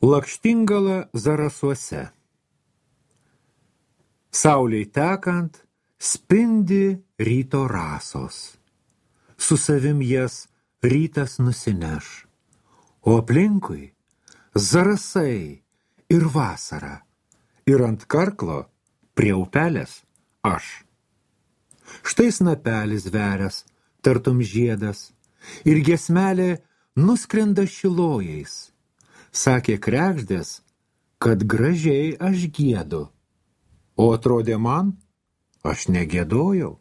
Lakštingala Zarasuose. Saulei tekant spindi ryto rasos. Su savim jas rytas nusineš, o aplinkui zarasai ir vasara, ir ant karklo prie upelės aš. Štai snapelis verias, tartum žiedas, ir giesmelė nuskrenda šilojais. Sakė kregždės, kad gražiai aš giedu, o atrodė man, aš negėdojau,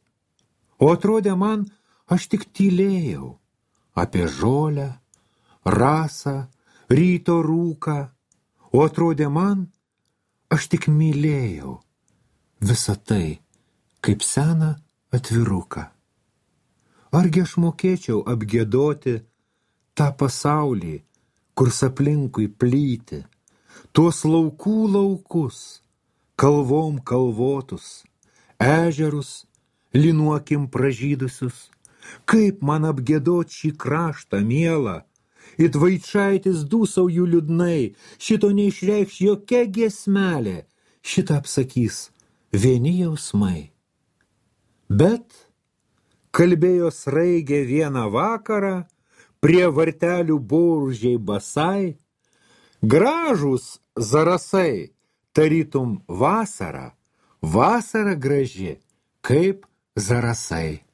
o atrodė man, aš tik tylėjau apie žolę, rasą, ryto rūką, o atrodė man, aš tik mylėjau visą tai, kaip seną atviruką. Argi aš mokėčiau apgiedoti tą pasaulį, kur aplinkui plyti, tuos laukų laukus, kalvom kalvotus, ežerus, linuokim pražydusius, kaip man apgiedot šį kraštą mielą, it vaičaitis dūsauju liūdnai, šito neišreikš jokia giesmelė, šitą apsakys vieni jausmai. Bet kalbėjo sraigė vieną vakarą, prie vartelių boružiai basai, gražūs zarasai, tarytum vasara, vasara graži, kaip zarasai.